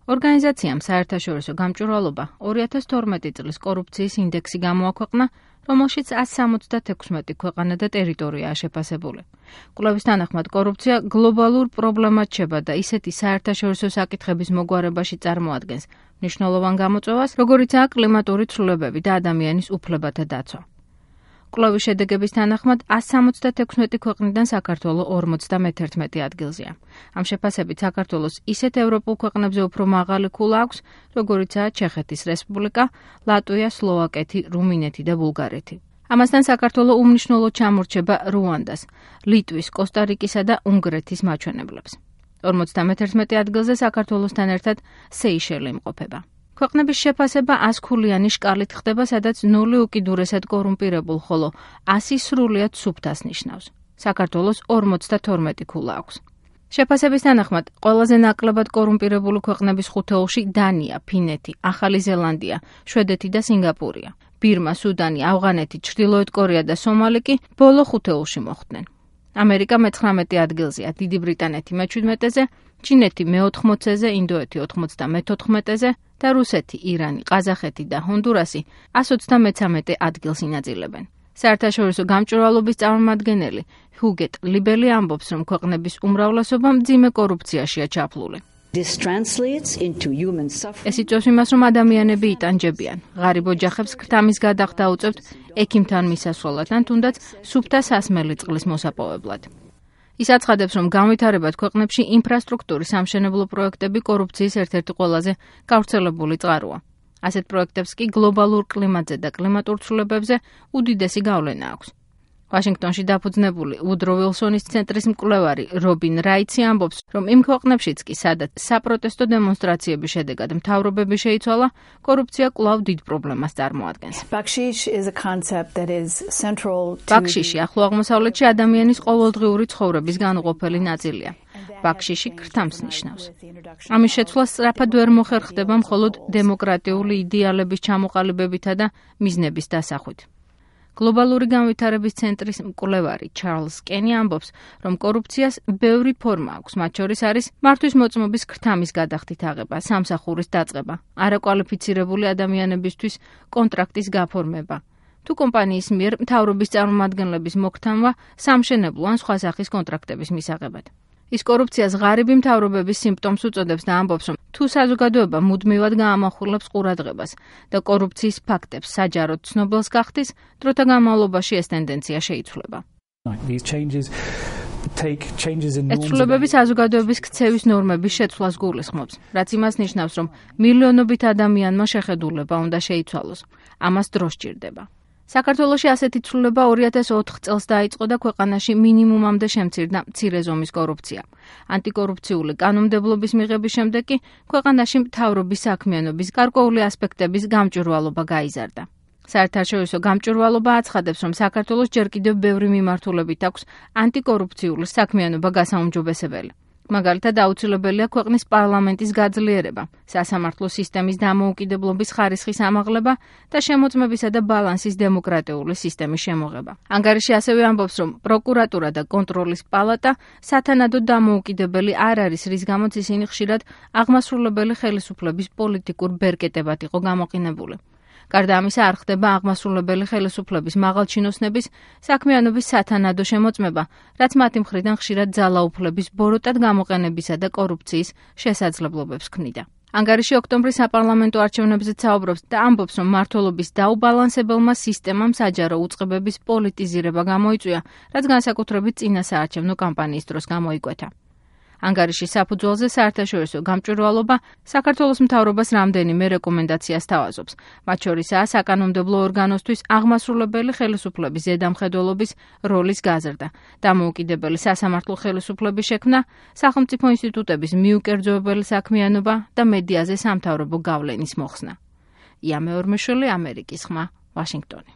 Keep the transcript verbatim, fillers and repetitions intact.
ორგანიზაციამ საერთაშორისო გამჭვირვალობა ორი ათას თორმეტი წლის კორუფციის ინდექსი გამოაქვეყნა, რომელშიც ათს სამოცდათექვსმეტი ქვეყანა და ტერიტორიაა შეფასებული. კვლევის თანახმად კორუფცია გლობალურ პრობლემად რჩება და ისეთი საერთაშორისო საკითხების მოგვარებაში წარმოადგენს მნიშვნელოვან გამოწვევას, როგორიცაა კლიმატური ცვლილებები და ადამიანის უფლებათა დაცვა. კვლევის შედეგების თანახმად ათს სამოცდათექვსმეტი ქვეყნიდან საქართველო ორმოცდამეთერთმეტი ადგილზეა. ამ შეფასებით საქართველოს ისეთ ევროპულ ქვეყნებზე უფრო მაღალი ქულა აქვს, როგორიცაა ჩეხეთის რესპუბლიკა, ლატვია, სლოვაკეთი, რუმინეთი და ბულგარეთი. ამასთან საქართველო უმნიშვნელოდ ჩამორჩება რუანდას, ლიტვის, კოსტა-რიკისა და უნგრეთის მაჩვენებლებს. ორმოცდამეთერთმეტი ადგილზე საქართველოსთან ერთად სეიშელი იმყოფება. ქვეყნების შეფასება ასქულიანი შკალით ხდება, სადაც ნული უკიდურესად კორუმპირებულ, ხოლო ასი სრულიად სუფთას ნიშნავს. საქართველოს ორმოცდათორმეტი ქულა აქვს. შეფასების თანახმად, ყველაზე ნაკლებად კორუმპირებული ქვეყნების ხუთეულში დანია, ფინეთი, ახალი ზელანდია, შვედეთი და სინგაპურია. ბირმა, სუდანი, ავღანეთი, ჩრდილოეთ კორეა და სომალი კი ბოლო ხუთეულში მოხვდნენ. ამერიკა მეცხრამეტე ადგილზეა, დიდი ბრიტანეთი მეჩვიდმეტეზე, ჩინეთი მეოთხმოცეზე, ინდოეთი ოცდამეთოთხმეტეზე და რუსეთი, ირანი, ყაზახეთი და ჰონდურასი ას ოცდამეცამეტე ადგილს ინაწილებენ. საერთაშორისო გამჭვირვალობის წარმომადგენელი ჰუგეტ ლიბელი ამბობს, რომ ქვეყნების უმრავლესობა მძიმე კორუფციაშია ჩაფლული. ეს იწვევს იმას, რომ ადამიანები იტანჯებიან, ღარიბ ოჯახებს ქრთამის გადახდა უწევთ ექიმთან მისასვლელად ან თუნდაც სუფთა სასმელი წყლის მოსაპოვებლად. ის აცხადებს, რომ განვითარებად ქვეყნებში ინფრასტრუქტურის სამშენებლო პროექტები კორუფციის ერთ-ერთი ყველაზე გავრცელებული წყაროა. ასეთ პროექტებს კი გლობალურ კლიმატზე და კლიმატურ ცვლილებებზე უდიდესი გავლენა აქვს. ვაშინგტონში დაფუძნებული უდრო ვილსონის ცენტრის მკვლევარი რობინ რაიცი ამბობს, რომ იმ ქვეყნებშიც კი, სადაც საპროტესტო დემონსტრაციების შედეგად მთავრობები შეიცვალა, კორუფცია კვლავ დიდ პრობლემას წარმოადგენს. ბაქშიში ახლო აღმოსავლეთში ადამიანის ყოველდღიური ცხოვრების განუყოფელი ნაწილია. ბაქშიში ქრთამს ნიშნავს. ამის შეცვლა სწრაფად ვერ მოხერხდება მხოლოდ დემოკრატიული იდეალების ჩამოყალიბებითა და მიზნების დასახვით. გლობალური განვითარების ცენტრის მკვლევარი ჩარლზ კენი ამბობს, რომ კორუფციას ბევრი ფორმა აქვს, მათ შორის არის მართვის მოწმობის ქრთამის გადახდით აღება, სამსახურის დაწყება, არაკვალიფიცირებული ადამიანებისთვის კონტრაქტის გაფორმება, თუ კომპანიის მიერ მთავრობის წარმომადგენლების მოქთანვა სამშენებლო ან სხვა სახის კონტრაქტების მისაღებად. ის კორუფციას ღარიბი მთავრობების სიმპტომს უწოდებს და ამბობს, რომ თუ საზოგადოება მუდმივად გაამახვილებს ყურადღებას და კორუფციის ფაქტებს საჯაროდ ცნობილს გახდის, დროთა განმავლობაში ეს ტენდენცია შეიცვლება. ეს ცვლილებები საზოგადოების ქცევის ნორმების შეცვლას გულისხმობს, რაც იმას ნიშნავს, რომ მილიონობით ადამიანმა შეხედულება უნდა შეიცვალოს. ამას დრო სჭირდება. საქართველოში ასეთი ცვლილება ორი ათას ოთხ წელს დაიწყო და ქვეყანაში მინიმუმამდე შემცირდა მცირე ზომის კორუფცია. ანტიკორუფციული კანონმდებლობის მიღების შემდეგ კი ქვეყანაში მთავრობის საქმიანობის გარკვეული ასპექტების გამჭვირვალობა გაიზარდა. საერთაშორისო გამჭვირვალობა აცხადებს, რომ საქართველოს ჯერ კიდევ ბევრი მიმართულებით აქვს ანტიკორუფციული საქმიანობა გასაუმჯობესებელი. მაგალითად, აუცილებელია ქვეყნის პარლამენტის გაძლიერება, სასამართლო სისტემის დამოუკიდებლობის ხარისხის ამაღლება და შემოწმებისა და ბალანსის დემოკრატიული სისტემის შემოღება. ანგარიში ასევე ამბობს, რომ პროკურატურა და კონტროლის პალატა სათანადოდ დამოუკიდებელი არ არის, რის გამოც ისინი ხშირად აღმასრულებელი ხელისუფლების პოლიტიკურ ბერკეტებად იყო გამოყენებული. გარდა ამისა, არ ხდება აღმასრულებელი ხელისუფლების მაღალჩინოსნების საქმიანობის სათანადო შემოწმება, რაც მათი მხრიდან ხშირად ძალაუფლების ბოროტად გამოყენებისა და კორუფციის შესაძლებლობებს ქმნიდა. ანგარიში ოქტომბრის საპარლამენტო არჩევნებზეც საუბრობს და ამბობს, რომ მმართველობის დაუბალანსებელმა სისტემამ საჯარო უწყებების პოლიტიზირება გამოიწვია, რაც განსაკუთრებით წინა საარჩევნო კამპანიის დროს გამოიკვეთა. ანგარიშის საფუძველზე საერთაშორისო გამჭვირვალობა საქართველოს მთავრობას რამდენიმე რეკომენდაციას თავაზობს. მათ შორისაა საკანონმდებლო ორგანოსთვის აღმასრულებელი ხელისუფლების ზედამხედველობის როლის გაზრდა, დამოუკიდებელი სასამართლო ხელისუფლების შექმნა, სახელმწიფო ინსტიტუტების მიუკერძოებელი საქმიანობა და მედიაზე სამთავრობო გავლენის მოხსნა. ია მეორმეშვილი, ამერიკის ხმა, ვაშინგტონი.